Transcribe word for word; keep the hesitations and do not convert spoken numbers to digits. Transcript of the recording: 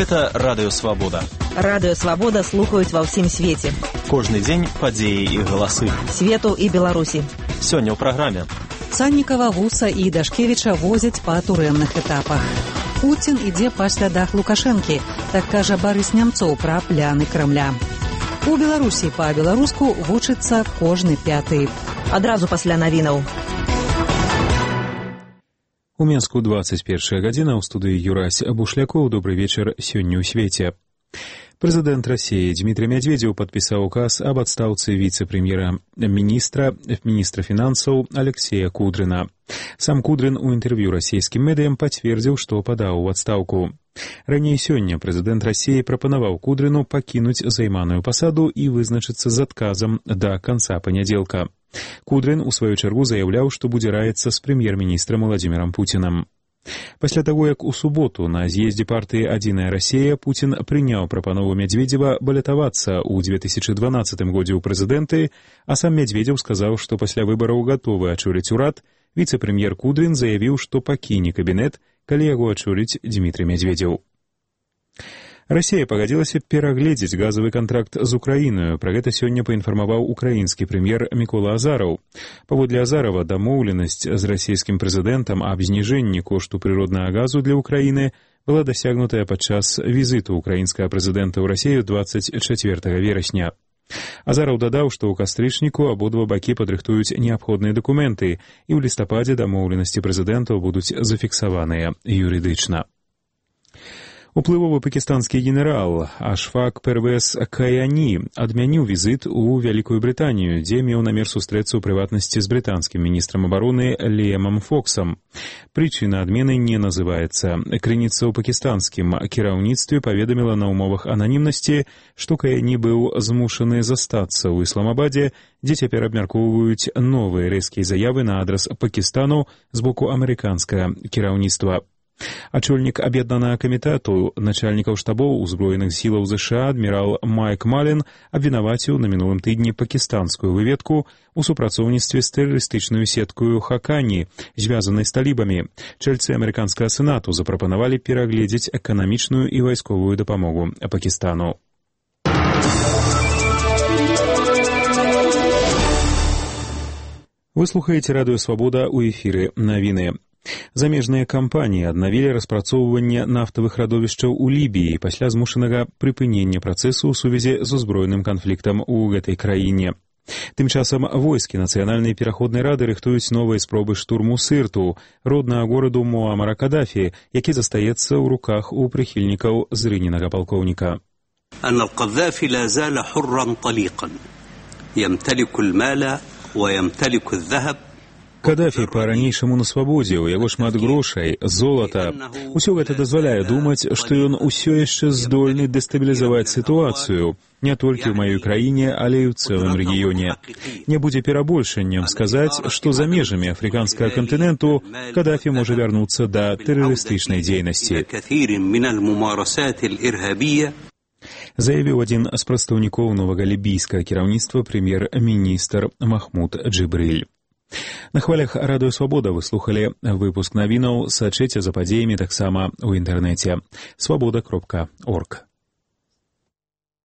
Гэта радыёвабода. Радыёвабода слухаюць ва ўсім свеце. Кожны дзень падзеі і галасы. Свету і Беларусі. Сёння ў праграме. Саннікава, Вуса і Дашкевіча возяць па турэмных этапах. Пуцін ідзе па слядах Лукашэнкі, так кажа Барыс Нямцоў пра пляны Крамля. У Беларусі па-беларуску вучыцца кожны пяты. Адразу пасля навінаў. У Менску двадцать першая гадзіна, ў студыі Юрась Бушлякоў. Добрый вечар сёння ў свеце. Прэзідэнт Расіі Дмітрый Мядзведзеў падпісаў указ аб адстаўцы віцэ-прэм'ера міністра, міністра фінансаў Алексея Кудрына. Сам Кудрын у інтэрв'ю расійскім медыям пацвердзіў, што падаў у адстаўку. Раней сёння прэзідэнт Расіі прапанаваў Кудрыну пакінуць займаную пасаду і вызначыцца з адказам да канца панядзелка. Кудрын, у сваю чаргу, заяўляў, што будзе раіцца з прэм'ер-міністрам Владзімірам Пуцінам. Пасля таго, як у суботу на з'ездзе партыі «Адзіная Расія» Пуцін прыняў прапанову Мядзведзева балятавацца ў две тысячы дванаццатым годзе ў прэзідэнты, а сам Мядзведзеў сказаў, што пасля выбараў гатовы ачоліць урад, віцэ-прэм'ер Кудрын заявіў, што пакіне кабінет, калі яго ачоліць Дмітрый Мядзведзеў. Расія пагадзілася перагледзець газавы кантракт з Украінаю. Пра гэта сёння паінфармаваў украінскі прэм'ер Мікола Азараў. Паводле Азарава, дамоўленасць з расійскім прэзідэнтам аб зніжэнні кошту прыроднага газу для Украіны была дасягнутая падчас візіту украінскага прэзідэнта ў Расію двадцать чацвёртага верасня. Азараў дадаў, што ў кастрычніку абодва бакі падрыхтуюць неабходныя дакументы, і ў лістападзе дамоўленасці прэзідэнтаў будуць зафіксаваныя юрыдычна. Уплывовы пакістанскі генерал Ашфак Первес Каяні адмяніў візіт у Вялікую Брытанію, дзе меў намер сустрэцца ў прыватнасці з брытанскім міністрам абароны Ліэмам Фоксам. Прычына адмены не называецца. Крыніца ў пакістанскім кіраўніцтве паведаміла на ўмовах ананімнасці, што Каяні быў змушаны застацца ў Ісламабадзе, дзе цяпер абмяркоўваюць новыя рэзкія заявы на адрас Пакістану з боку амерыканскага кіраўніцтва. Ачольнік аб'яднанага камітэту начальнікаў штабоў узброеных сілаў ЗША адмірал Майк Малін абвінаваціў на мінулым тыдні пакістанскую выведку у супрацоўніцтве з тэрарыстычнаю сеткаю Хакані, звязанай з талібамі. Чальцы амерыканскага сенату запрапанавалі перагледзець эканамічную і вайсковую дапамогу Пакістану. Вы слухаеце радыёвабода, у эфіры навіны. Замежныя кампаніі аднавілі распрацоўванне нафтавых радовішчаў у Лібіі пасля змушанага прыпынення працэсу ў сувязі з узброеным канфліктам у гэтай краіне. Тым часам войскі нацыянальнай пераходнай рады рыхтуюць новыя спробы штурму Сырту, роднага гораду Муамара Кадафі, які застаецца ў руках у прыхільнікаў зрыненага палкоўніка. أن القذافي لا زال حرا طليقا يمتلك المال ويمتلك الذهب. Кадафі па-ранейшаму на свабодзе, у яго шмат грошай, золата. Усё гэта дазваляе думаць, што ён усё яшчэ здольны дэстабілізаваць сітуацыю, не толькі ў маёй краіне, але і ў цэлым рэгіёне. Не будзе перабольшаннем сказаць, што за межамі афрыканскага кантыненту Кадафі можа вярнуцца да тэрарыстычнай дзейнасці. Заявіў адзін з прадстаўнікоў новага лібійскага кіраўніцтва прэм'ер-міністр Махмуд Джибриль. На хвалях радыёвабода вы слухалі выпуск навінаў, сачыце за падзеямі таксама ў інтэрнэце свабода кропка орг.